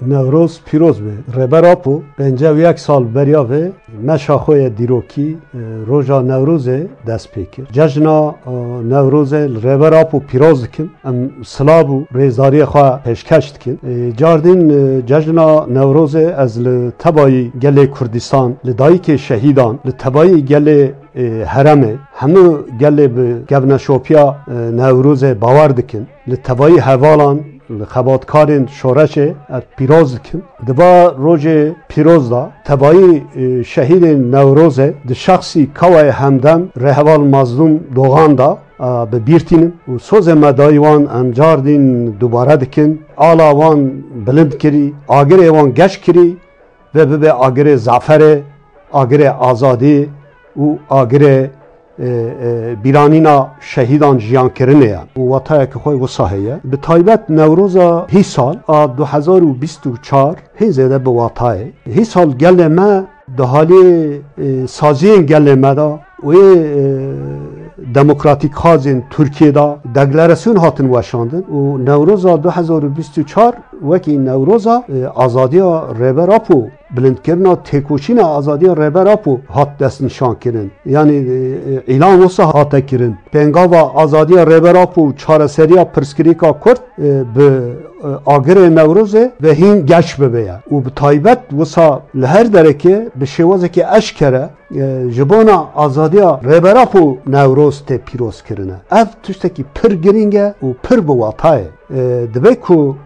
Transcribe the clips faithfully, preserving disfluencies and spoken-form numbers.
Newroz pîroz be. Rêber Apo pêncî û yek sal beriya vê meşa xwe ye dîrokî, e, roja Newrozê dest pê kir. Cejna, e, Newrozê li Rêber Apo pîroz dikin. Em silav û rêzdariyê xwe pêşkeş dikin. E, cardîn, e, cejna Newrozê ez li tebayî gelê Kurdistan, li dayikê şehîdan, li tebayî gelê, e, heremê, hemû gelê bi kevneşopiya, e, Newrozê bawer dikin. Li tebayî hevalan, li xebatkarên şoreşê ez pîroz dikim. Di va rojê pîroz de tebayî, e, şehîdên Newrozê di şexsî Kawayê Hemdem rêheval Mazlûm Dogan de, e, bi bîr tînim û sozê me dayî wan em cardîn dubare dikin. Ala wan bilind kirî, agirê wan geş kirî ve bibe agirê zaferê, agirê azadî û agirê, e, e, bîranîna şehîdan jiyankirinê ye. Û watayeke xwe wisa heye. Bi taybet Newroza hîsal a du hezar û bîst û çar hê zêde bi watayê. Hîsal gelê me di halê, e, saziyên gelê me de û ê, e, demokratîkxwazên Tirkiyê de deklarasyon hatin weşandin û Newroza du hezar û bîst û çar wekî Newroza, e, azadiya Rêber Apo, bilindkirina têkoşîna azadiya Rêber Apo hat destnîşankirin. Yanî, e, e, îlan wisa hate kirin. Pêngava azadiya Rêber Apo û çareseriya pirsgirêka Kurd, e, bi, e, agirê Newrozê ve hîn geş bibe ye. Û bi taybet wisa li her derekê bi şêwazekî eşkere, e, ji bona azadiya Rêber Apo Newroz tê pîroz kirine. Ev tiştekî pir girîng e û pir bi wata ye. E, dibe ku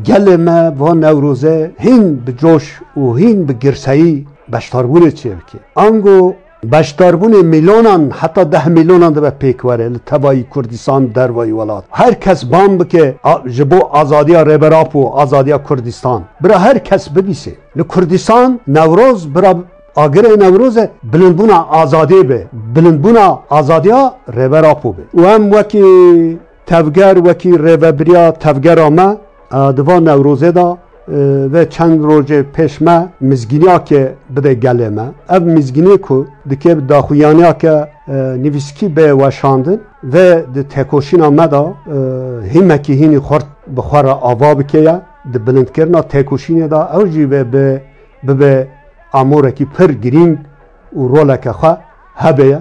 gelê me va Newroze hîn bi coş û hîn bi girseyî beşdarbûnê çêbike. Ango beşdarbûnê milyonan, heta deh milyonan dibe pêk were li tevayî Kurdistan, dervayî welat. Her kes bang bike a-, ji bo azadiya Rêber Apo, azadiya Kurdistan. Bira her kes bibîse. Li Kurdistan Newroz bira agirê Newroz e, bilindbûna azadiyê be, bilindbûna azadiya Rêber Apo be. Û em wekî tevger, wekî rêvebiriya tevgera me, e, di van Newrozê de, e, ve çend rojê pêş me mizgîniyake bide gelê me. Ev mizgînî ku dike bi daxuyaniyake, e, nivîskî bê weşandin ve di têkoşîna me de, e, hîmekî hînî xurt bi xwe re ava bike ye. Di bilindkirina têkoşînê de ew jî ve bi bibe amorekî pir girîng û roleke xwe hebe ye.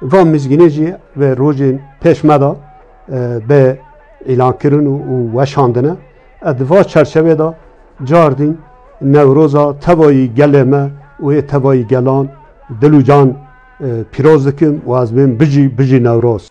Va mizgînê jî ve rojên pêş me de, e, be îlankirin û, û weşandine. Ez di va çerçevê de cardîn Newroza tevayî gelê me û yê tevayî gelan dil û can, e, pîroz dikim û ez bêm bijî, bijî Newroz.